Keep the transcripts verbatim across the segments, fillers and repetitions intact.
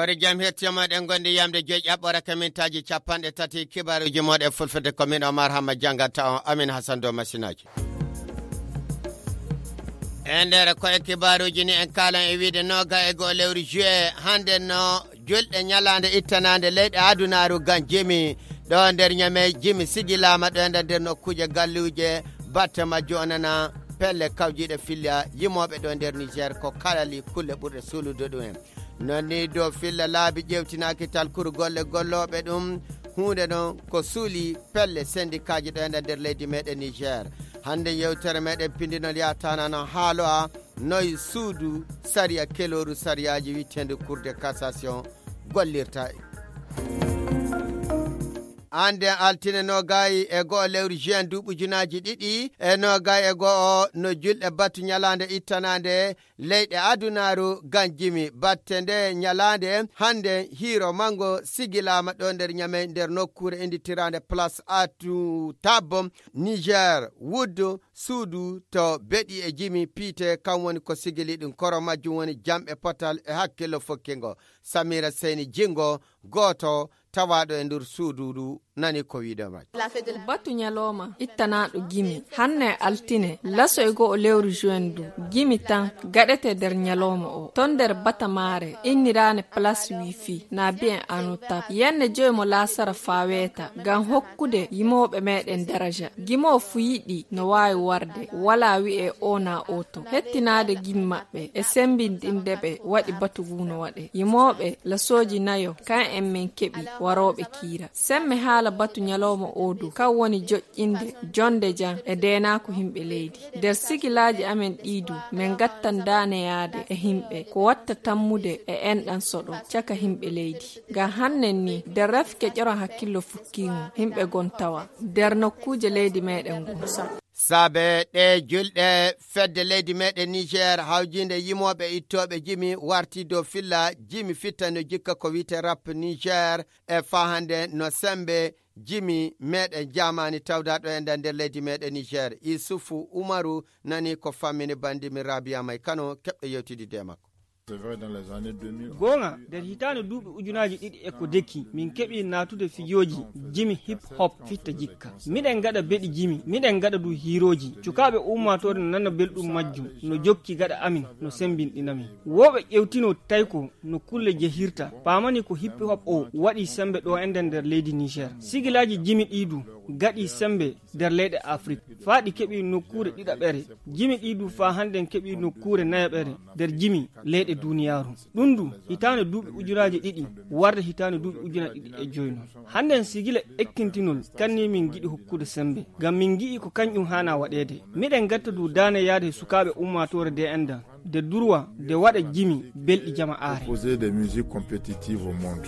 Ɓe jam hettiyamoɗen gondi yamde joyi ƴaɓɓore ka mintaaji capanɗe tati kibaruji moɗe fulfulde ko min Omar Hamma jangata on Amin Hassan dow masinaaji. E nder ko e kibaruji ni en kalan e wiide noga e goo lewru juillet hande no julɗe ñalaande ittanaande leyɗe adunaaru gan jimi ɗo nder ñame jimi sigilaama ɗo e nder nder nokkuuje galluuje batte majjo onana pelle kawjiiɗe filla yimooɓe ɗo nder Niger ko kalali kulle ɓurɗe suulude ɗum en. Non ni dow filla laabi ƴewtinaaki talkuru golle gollooɓe ɗum huunde non ko suuli pelle sendikaaji ɗo e nder leydi meɗen Niger. Hande yewtere meɗen pindinol yatana no haalo a noy suudu sariya kelooru sariyaaji witteendu Cour de cassation gollirta. Ande altine nogayi e go'o lewru juin duuɓi junaaji ɗiɗi e nogayi e go'o no julɗe batu ñalaande ittanaande leyɗe adunaaru gan jimi batte nde ñalaande hande hiiro mango sigilaama ɗo nder ñamey nder nokkuure inditiraande place atu tabbo Niger wuddu suudu to beɗi e jimi piite kam woni ko sigili ɗum koro majjum woni jamɓe potal e hakkillo fokkingo. Samira Seyni Jingo gooto tawaaɗo e ndur suudu ndu nani ko wiide majji. Batu ñalooma ittanaaɗo gimi hannde altine laso e go'o lewru juin du gimi tan gaɗete nder ñalooma o ton nder batamaare inniraane place wifi na bi'en anotab yenne joyi mo laasara faa weeta ngam hokkude yimooɓe meɗen daraja. Gimo fu yiɗi no waawi warde walaa wi'e o na o to hettinaade gimi maɓɓe e semmbinɗinde ɓe waɗi batu ngu no waɗe yimooɓe lasooji nayo kan en min keɓi warooɓe kiira. Semme haala batu ñalawma oo du kan woni joƴƴinde jonnde jam e deenaaku yimɓe leydi. Nder sigilaaji amen ɗii du min ngattan daaneyaade e yimɓe ko watta tammude e enɗan soɗo caka yimɓe leydi. Ngam hannen ni nder rafi keƴoran hakkillo fukkiingo yimɓe gon tawa nder nokkuuje leydi meɗen ngon. Saabe ɗe julɗe fedde leydi meɗen Niger hawjinde yimooɓe ittooɓe jimi warti dow filla jimi fitta no jikka ko wiyte rap Niger e faa hannde no semmbe jimi meɗen jaamaani tawdaaɗo e nder nder leydi meɗen Niger. Isufu Umaru nani ko fammini banndi mi Rabia May Kano keɓɗo yewtididde e makko. Goonga, nder hitaande duuɓi ujunaaji ɗiɗi e ko deki, min keɓi naatude fijooji jimi hip hop fitta jikka. Miɗen ngaɗa beɗi jimi, miɗen ngaɗa du hiirooji. Cukaaɓe ummaatoore no nana belɗum majjum, no jokki gaɗa amin, no semmbinɗina min. Wooɓe ƴewtino tawi ko no kulle jehirta, paamani ko hip hop o waɗi semmbe ɗo enɗen nder leydi Niger. Sigilaaji jimi ɗii du gaɗi semmbe nder leyɗe Afrik. Faa ɗi keɓi nokkuure ɗiɗaɓere, jimi ɗii du faa hannden keɓi nokkuure nayaɓere nder jimi leyɗe duuniyaaru. Ɗum du, hitaande duuɓi ujunaaji ɗiɗi warde hitaande duuɓi ujunaaji ɗiɗi e joy non. Hannden sigila ekkintinol kanni min ngiɗi hokkude semmbe, ngam min ngi'i ko kañƴum haana waɗeede. Miɗen ngatta du daane yaade e sukaaɓe ummaatoore de enɗan, de durwa, de waɗa jimi belɗi jama aare. Proposer des musiques compétitives au monde.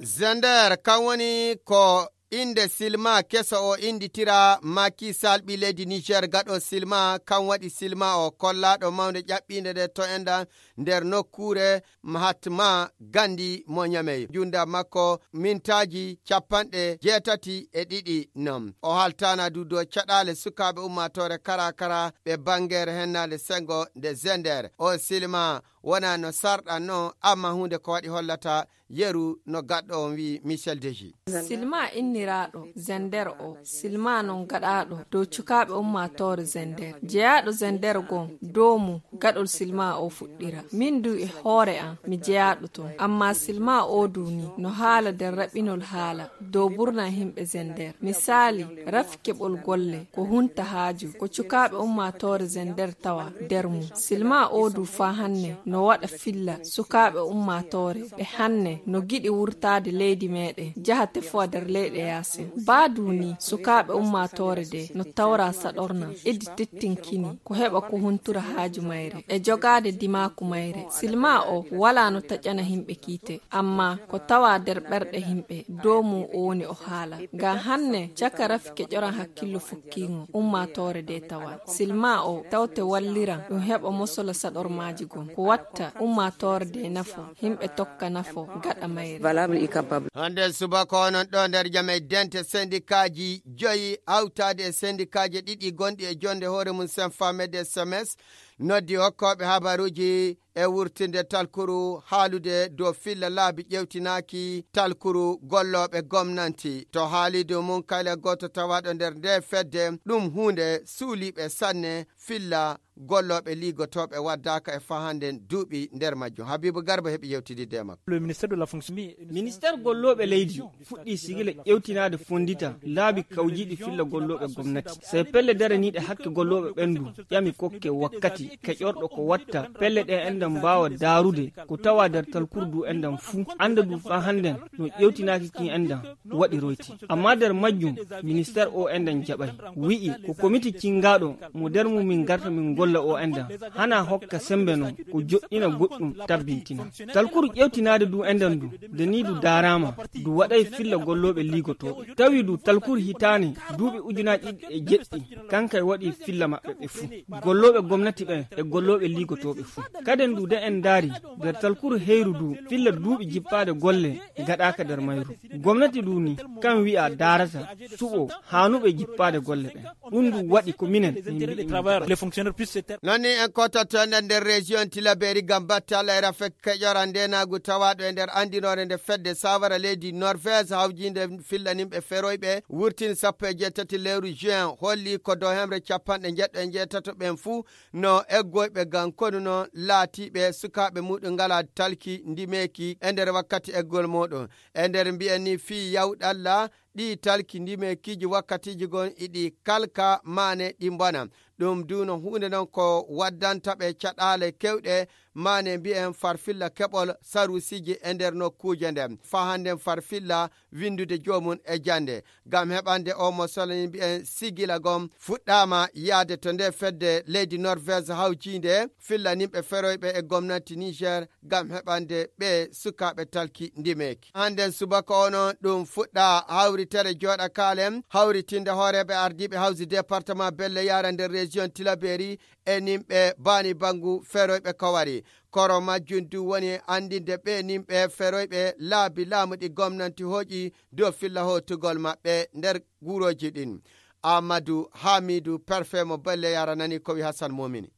Zender kan woni ko innde silma keso o innditira Macky Sall ɓii leydi Niger gaɗo silma kan waɗi silma o kollaaɗo mawnde ƴaɓɓiinde nde to enɗan nder nokkuure Mahatma Gandhi mo Ñamey. Junnda makko mintaaji capanɗe jeetati e ɗiɗi non. O haltaana du dow caɗaale sukaaɓe ummaatoore kara kara ɓe banngeere hennaande senngo nde Zender. O silma wonaa no sarɗan non, amma huunde ko waɗi hollata yeru no gaɗɗo on wi'i Michel Deji. Silma inniraaɗo Zender o, silma non gaɗaaɗo dow cukaaɓe ummaatoore Zender. Jeyaaɗo Zender gon dow mum gaɗol silma o fuɗɗira. Min du e hoore am mi jeyaaɗo ton. Amma silma o du ni no haala nder raɓɓinol haala dow burna yimɓe Zender. Misaali, rafi keɓol golle ko hunta haaju ko cukaaɓe ummaatoore Zender tawa nder mum. Silma o du faa hanne no waɗa filla sukaaɓe ummaatoore ɓe hanne no giɗi wurtaade leydi meɗen jaha tefowa nder leyɗe yaasin. Baa du ni sukaaɓe ummaatoore de no tawra saɗorna idi tettinkini ko heɓa ko huntura haaju mayre e jogaade dimaaku mayre. Silma o walaa no taƴana yimɓe kiite, amma ko tawa nder ɓerɗe yimɓe dow mum o woni o haala. Ngam hanne caka rafi keƴoran hakkillo fukkiingo ummaatoore de tawa. Silma o tawte walliran ɗum heɓa mosola saɗormaaji gon. Ko watta ummaatoore de nafo, yimɓe tokka nafo gaɗa mayre. Valable et capable. Hannde subaka onon ɗo nder jam e dente sendikaaji joyi hawtaade e sendikaaji ɗiɗi gonɗi e jonde hoore mum Senfamede S M S Noddi hokkooɓe habaruuji e wurtinde talkuru haalude dow filla laabi ƴewtinaaki talkuru gollooɓe gomnanti. To haalidu mum kala gooto tawaaɗo nder nde fedde, ɗum huunde suuliiɓe sanne filla gollooɓe liigotooɓe waddaaka e fahanden duuɓi nder majjum. Habibu Garba heɓi yewtididde e makko. Le ministère de la fonction. Ministère gollooɓe leydi fuɗɗii sigila ƴewtinaade fonndita laabi kawjiiɗi filla gollooɓe gomnati. Sey pelle daraniiɗe hakke gollooɓe ɓen du ƴami kokke wakkati keƴorɗo ko watta pelle ɗe enɗan mbaawa daarude ko tawa nder talkuru du enɗan fuu annda du faa hannden no ƴewtinaaki kin enɗan waɗiroyti. Amma nder majjum, ministère o enɗan jaɓay. Wi'i ko komiti cingaaɗo mo nder mum min ngarta min golla o enɗan. Hana hokka sembe non ko joɗɗina goɗɗum tabbintina. Talkuru ƴewtinaade du enɗan du, nde ni du daaraama, du waɗay filla gollooɓe liigotooɓe. Tawi du talkuru hitaane duuɓi ujunaaji ɗiɗi e jeɗɗi, kankay waɗi filla maɓɓe ɓe fuu. Gollooɓe gomnati ɓen e gollooɓe liigotooɓe fuu. Kaden du de en ndaari, nder talkuru heyru du, filla duuɓi jippaade golle gaɗaaka nder mayru. Gomnati du ni, kan wi'a daarata, suɓo, haanuɓe jippaade golle ɓen. Ɗum du waɗi ko minen, min mbiɗi min. Les fonctionnaires puissent se taire. Non ni en kototo nder nder région Tilaberi ngam batte Allah e rafe keƴora ndenaagu tawaaɗo e nder anndinoore nde fedde sawara leydi Norvège hawjinde fillanimɓe feroyɓe wurtini sappo e jeetati lewru juin holli ko dow hemre capanɗe njeɗɗo e njeetato ɓen fuu no eggoyɓe ngam konu no laatiiɓe sukaaɓe muɗum ngala talki ndimeeki e nder wakkati eggol muɗum. E nder mbiyen ni fii yawɗalla ɗi talki ndimeekiiji wakkatiiji gon iɗi kalka maane ɗi mbona. Ɗum du no huunde non ko waddanta ɓe caɗaale kewɗe maane mbiyen farfilla keɓol sarusiiji e nder nokkuuje nde. Faa hannden farfilla winndude joomum e jannde. Ngam heɓande o mo solani mbiyen sigila gom fuɗɗaama yaade to nde fedde leydi Norvège hawjiinde fillanimɓe feroyɓe e gomnati Niger ngam heɓande ɓe sukaaɓe talki ndimeeki. Hannden subaka ono ɗum fuɗɗa hawritere jooɗa kaalen hawritinde hooreeɓe ardiiɓe hawsi département Belle Yara nder région Tilaberi e nimɓe baani banngu feroyɓe kowari. Koro majjum du woni anndinde ɓe nimɓe feroyɓe laabi laamu ɗi gomnanti hooƴi dow filla hootugol maɓɓe nder guurooji ɗin. Amadou Hamidou, préfet mo Belle Yara nani ko wi Hassan Momini.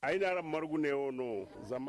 Aynaram margu ne o no.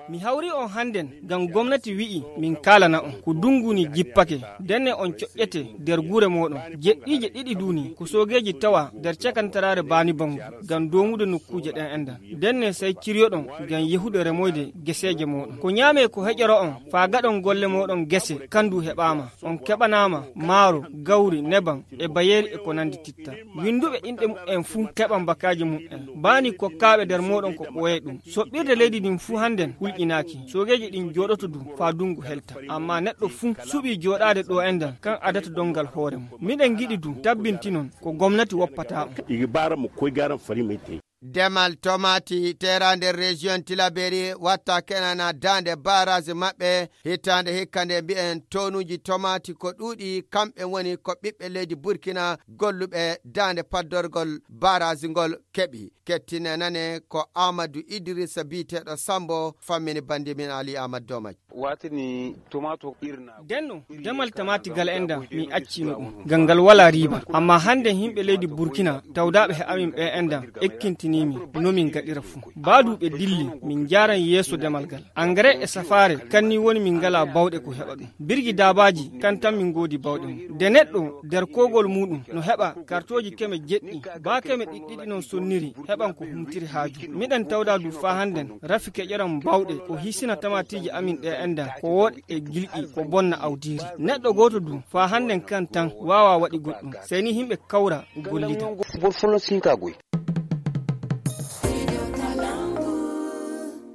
Mi hawri on hannden ngam gomnati wi'i min kaalana on ko dungu ni jippake, denne on coƴƴete nder gure mooɗon. Jeɗɗiije ɗiɗi du ni ko soogeeji tawa nder cakantaraare baani bangu ngam doomude nokkuuje ɗen enɗan. Denne sey ciryoɗon ngam yehude remoyde geseeje mooɗon. Ko ñaame ko heƴoro on faa gaɗon golle mooɗon gese, kan du heɓaama. On keɓanaama maaro, gawri, neban, e bayeeri e ko nandi titta. Winnduɓe inɗe muɓɓen fuu keɓan bakaaji muɓɓen. Baani kokkaaɓe nder mooɗon ko ɓooye ɗum. Soɓɓirde leydi ndin fuu hannden hulƴinaaki. Soogeeji ɗin jooɗoto du faa dungu helta. Ammaa neɗɗo fuu suɓii jooɗaade ɗo enɗan, kan adata donngal hoore mum. Miɗen ngiɗi du tabbintinon ko gomnati woppata on. Igi baara mo koy gaaran fari may tey. Demal tomaati teera nder région Tilaberi watta kenana daande barrage maɓɓe hitaande hikka nde mbi'en tonuuji tomaati ko ɗuuɗi kamɓe woni ko ɓiɓɓe leydi Burkina golluɓe daande paddorgol barrage ngol keɓi. Kettine nane ko Amadou Idrissa biyeteeɗo Sambo fammini bandi min Ali Amadou Domaj. Watini tomato irna. Denno, demal tamaati gal enɗan, mi accino ɗum. Ngam ngal walaa riiba. Ammaa hannde yimɓe leydi Burkina, tawdaaɓe he amin ɓe enɗan, ekkintinii min, no min ngaɗira fuu. Baa du ɓe dilli, min njaaran yeeso demal gal. Engrais e safaare, kan ni woni min ngalaa bawɗe ko heɓa ɗum. Birgi daabaaji, kan tan min ngoodi bawɗe mum. De neɗɗo, nder koogol muuɗum, no heɓa kartooji keme jeɗɗi, baa keme ɗiɗɗiɗi non sonniri, heɓan ko humtiri haaju. Miɗen tawda du faa hannden, rafi keƴoran bawɗe, ko hisina tamaatiiji amin ɗe enɗan, ko wooɗa e gilɗi, ko bonna awdiiri. Neɗɗo gooto du, faa hannden kan tan, waawaa waɗi goɗɗum. Sey ni yimɓe kawra, gollida.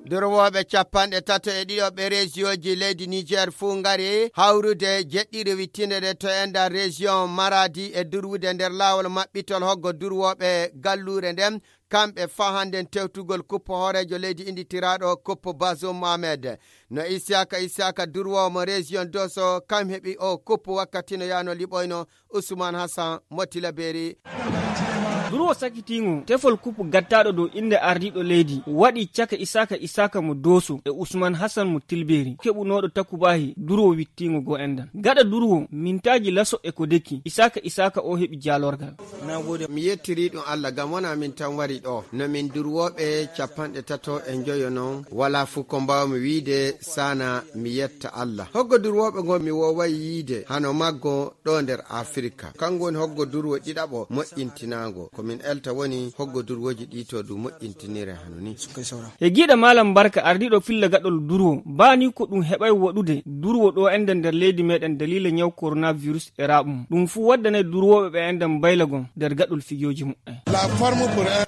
Durwooɓe capanɗe tato e ɗiɗo ɓe rejiyooji leydi Niger fuu ngari hawrude jeɗɗire wittinde nde to enɗan rejiyon Maradi e durwude nder laawol maɓɓitol hoggo durwooɓe galluure nden, kamɓe faa hannden tewtugol kuppo hooreejo leydi innditiraaɗo kuppo Bazoum Mohamed. No Isiyaka Isiyaka durwoowo mo rejiyon Doso kam heɓi o kuppo wakkati no yaano liɓoyno Usman Hassan mo Tilaberi. Durwo sakitiingo tefol kupu gattaaɗo dow innde ardiiɗo leydi waɗi caka Isaaka Isaaka mo Dooso e Usman Hasan mo Tilbeeri keɓunooɗo takubaahi durwo wittiingo goo enɗan. Gaɗa durwo mintaaji laso e ko deki Isaaka Isaaka o heɓi jaalorgal. Mi yettirii ɗum Allah ngam wonaa min tan wari ɗoo. No min durwooɓe capanɗe tato e njoyo non, walaa fuu ko mbaawmi wiide sana mi yetta Allah. Hoggo durwooɓe ngo mi wooway yiide hano maggo ɗoo nder Afirka. Kanko woni hoggo durwo ɗiɗaɓo moƴƴintinaango. Ko min elta woni hoggo durwooji ɗi to du moƴƴintinire hano ni. E giiɗa Malam Barka ardiiɗo filla gaɗol durwo, baa ni ko ɗum heɓay waɗude durwo ɗo enɗan nder leydi meɗen daliila ñaw coronavirus e raɓum. Ɗum fuu waddanay durwooɓe ɓe enɗan baylagon nder gaɗol fijooji muɓɓen.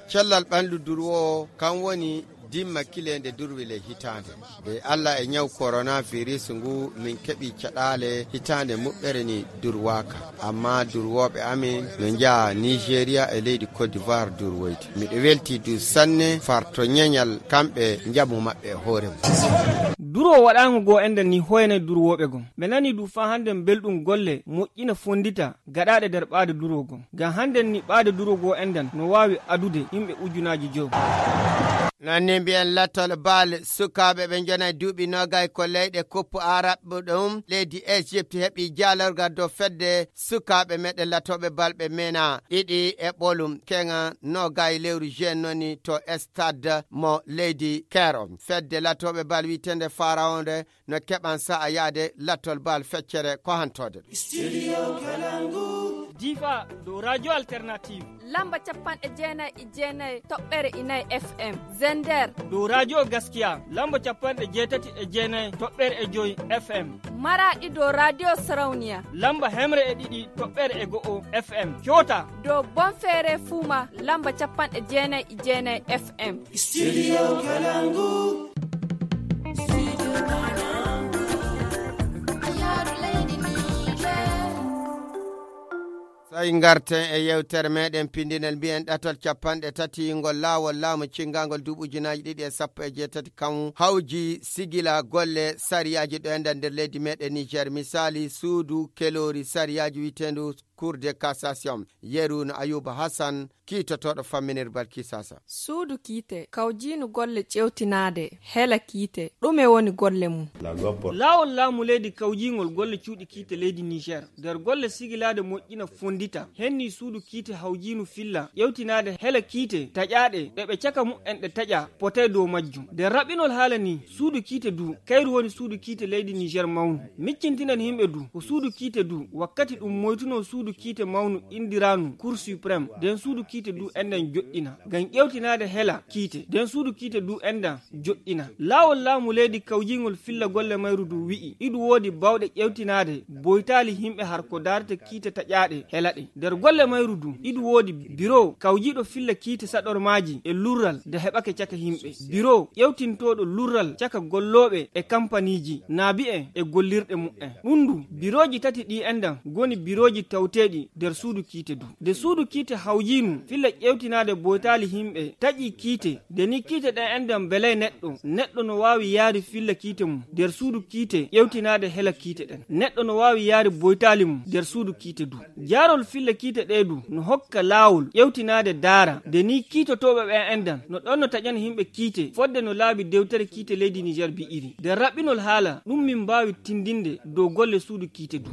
Cellal ɓandu durwo kan woni dimma kileende durwi ley hitaande. Nde Allah e ñaw coronavirus ngu min keɓi caɗaale hitaande muɓɓere ni durwaaka. Amma durwooɓe amin no njaha Nigeria e leydi Côte d'Ivoire durwoyde. Miɗo welti du sanne far to ñeñal kamɓe njamu maɓɓe e hoore mum. Durwo waɗaango goo enɗan ni hoyanay durwooɓe gon. Ɓe nani du faa hannden belɗum golle moƴƴina fonndita gaɗaaɗe nder ɓaade durwo gon. Ngam hannden ni ɓaade durwo goo enɗan no waawi adude yimɓe ujunaaji jow. Noon ni mbiyen lattol bal sukaaɓe ɓe njonay duuɓi noogay ko leyɗe koppu Arab ɗum leydi Egypte heɓi jaalorgal dow fedde sukaaɓe meɗen latooɓe bal ɓe mena ɗiɗi e ɓolum keŋa noogay lewru juin noni to stade mo leydi Caire. Fedde latooɓe bal wi'etende Pharaon nde no keɓan sa'a yaade lattol bal feccere ko hantoode ɗum. Difa dow Radio Alternative. Lamba capanɗe jeenay e jeenay toɓɓere inay F M. Zender. Dow Radio Gaskiya. Lamba capanɗe jeetati e jeenay toɓɓere e joy F M. Maraɗi dow Radio Sarauniya. Lamba hemre e ɗiɗi toɓɓere e go'o F M. Coota. Dow Bonfere Fuma. Lamba capanɗe jeenay e jeenay F M. Studio Kalangu. Tawi ngarten e yewtere meɗen pindinel mbiyen ɗatal capanɗe tati ngol laawol laamu cinngangol duuɓi ujunaaji ɗiɗi e sappo e jeetati kan hawji sigila golle sariyaaji ɗo enɗan nder leydi meɗen Niger. Misaali suudu keloori sariyaaji wi'eteendu Cour de cassation. Yeru no Ayuba Hassan kiitotooɗo famminir Balkisasa. Suudu kiite kawjiinu golle ƴewtinaade hela kiite, ɗume woni golle mum? Laawol laamu leydi kawjiingol golle cuuɗi kiite leydi Niger. Nder golle sigilaade moƴƴina fonndita, henni suudu kiite hawjiinu filla ƴewtinaade hela kiite taƴaaɗe ɗe ɓe caka mu'en ɗe taƴa potay dow majjum. Nder raɓɓinol haala ni, suudu kiite du, kayru woni suudu kiite leydi Niger mawnu. Miccintinan yimɓe du, ko suudu kiite du, wakkati ɗum moytunoo suudu kiite mawnu indiraanu Cour Suprême, nden suudu kiite du enɗan joɗɗina. Ngam ƴewtinaade hela kiite, nden suudu kiite du enɗan joɗɗina. Laawol laamu leydi kawjiingol filla golle mayru du wi'i, iɗu woodi bawɗe ƴewtinaade boytaali yimɓe har ko daarata kiite taƴaaɗe hela ɗe. Nder golle mayru du, iɗu woodi biro kawjiiɗo filla kiite saɗormaaji e lurral nde heɓake caka yimɓe. Biro ƴewtintooɗo lurral caka gollooɓe e kampaniiji, naabi'en e gollirɗe mu'en. Ɗum du, birooji tati ɗi enɗan ngoni birooji tawteeɗi nder suudu kiite du. Nde suudu kiite hawjiinu filla ƴewtinaade boytaali yimɓe taƴi kiite, nde ni kiite ɗen enɗan belay neɗɗo, neɗɗo no waawi yaari filla kiite mum nder suudu kiite ƴewtinaade hela kiite ɗen. Neɗɗo no waawi yaari boytaali mum nder suudu kiite du. Jaarol filla kiite ɗee du no hokka laawol ƴewtinaade daara, nde ni kiitotooɓe ɓen enɗan no ɗon no taƴana yimɓe kiite fodde no laabi dewtere kiite leydi Niger bi'iri. Nder raɓɓinol haala, ɗum min mbaawi tindinde dow golle suudu kiite du.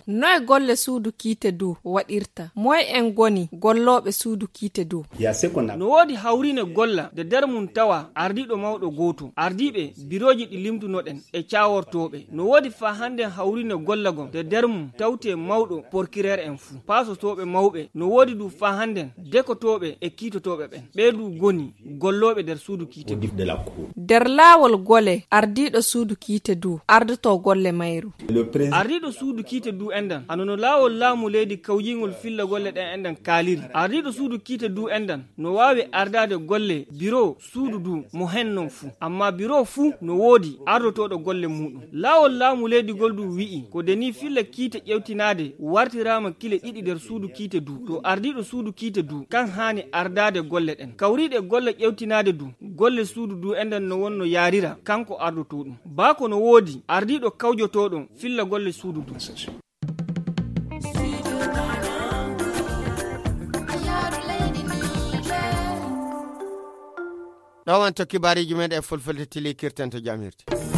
Noy golle suudu kiite du waɗirta? Moy en ngoni gollooɓe suudu kiite du? No woodi hawriine golla nde nder mum tawa ardiiɗo mawɗo gooto, ardiiɓe birooji ɗi limtunoɗen e caawortooɓe. No woodi faa hannden hawriine golla gon nde nder mum tawtee mawɗo porkireer en fuu, paasotooɓe mawɓe. No woodi du faa hannden dekotooɓe e kiitotooɓe ɓen. Ɓee du ngoni gollooɓe nder suudu kiite du. Nder laawol gole ardiiɗo suudu kiite du ardotoo golle mayru. Ardiiɗo suudu kiite du enɗan, hano no laawol laamu leydi kawjiingol filla golle ɗen enɗan kaaliri. Ardiiɗo suudu kiite du enɗan no waawi ardaade golle biro suudu du mo hen non fuu. Amma biro fuu no woodi ardotooɗo golle muuɗum. Laawol laamu leydi ngol du wi'i, ko de ni filla kiite ƴewtinaade wartiraama kile ɗiɗi nder suudu kiite du. To ardiiɗo suudu kiite du, kan haani ardaade golle ɗen. Kawriiɗe golle ƴewtinaade du, golle suudu du enɗan no wonno yaarira, kanko ardotooɗum. Baa ko no woodi ardiiɗo kawjotooɗo filla golle suudu du. Ɗo wonto kibaariiji men e fulfulde tili kirten to jam hirti.